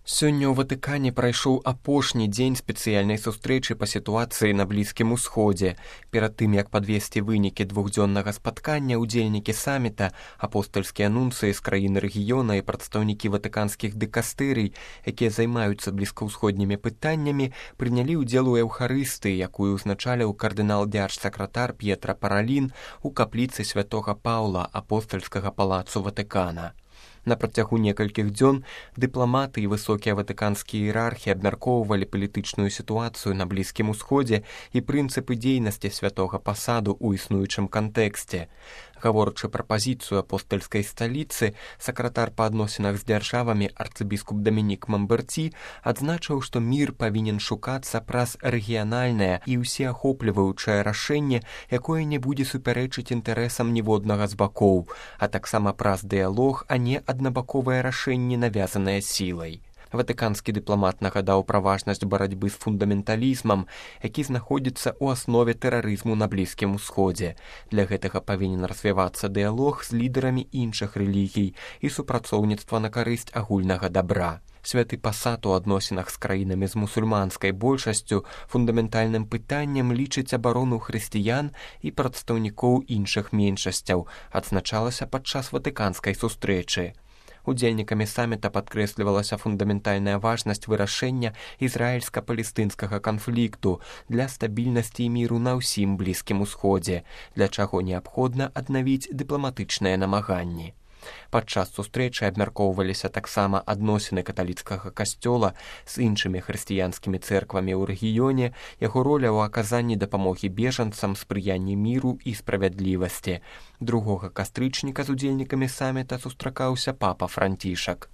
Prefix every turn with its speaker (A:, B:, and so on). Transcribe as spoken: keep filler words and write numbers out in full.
A: Сёння ў Ватыкане прайшоў апошні дзень спецыяльнай сустрэчы па сітуацыі на Блізкім Усходзе. Перад тым, як падвесці вынікі двухдзённага спаткання, удзельнікі саміта, апостальскія нунцыі з краін рэгіёна і прадстаўнікі ватыканскіх дыкастэрый, якія займаюцца блізкаўсходнімі пытаннямі, прынялі ўдзел у эўхарыстыі, якую ўзначаліў кардынал-дзярж-сакратар П'етра Паралін у капліцы святога Паўла апостальскага палацу Ватыкана. На працягу некалькіх дзён дыпламаты і высокія ватыканскія іерархі абмяркоўвалі палітычную сітуацыю на Блізкім Усходзе і прынцыпы дзейнасці святога пасаду ў існуючым кантэксце. Гаворачы пра пазіцыю апостальскай сталіцы, сакратар па адносінах з дзяржавамі арцыбіскуп Дамінік Мамберці адзначыў, што мір павінен шукацца праз рэгіянальнае і ўсеахопліваючае рашэнне, якое не будзе супярэчыць інтарэсам ніводнага з бакоў, а таксама праз дыялог, а не аднабаковае рашэнне, навязанае сілай. Ватыканскі дыпламат нагадаў пра важнасць барацьбы з фундаменталізмам, які знаходзіцца ў аснове тэрарызму на Блізкім Усходзе. Для гэтага павінен развівацца дыялог з лідарамі іншых рэлігій і супрацоўніцтва на карысць агульнага дабра. Святы пасад у адносінах з краінамі з мусульманскай большасцю фундаментальным пытаннем лічыць абарону хрысціян і прадстаўнікоў іншых меншасцяў, адзначалася падчас ватыканскай сустрэчы. Удзельнікамі саміта падкрэслівалася фундаментальная важнасць вырашэння ізраільска-палестынскага канфлікту для стабільнасці і міру на ўсім Блізкім Усходзе, для чаго неабходна аднавіць дыпламатычныя намаганні. Падчас сустрэчы абмяркоўваліся таксама адносіны каталіцкага касцёла з іншымі хрысціянскімі цэрквамі ў рэгіёне, яго роля ў аказанні дапамогі бежанцам, спрыянні міру і справядлівасці. Другога кастрычніка з удзельнікамі саміта сустракаўся папа Францішак.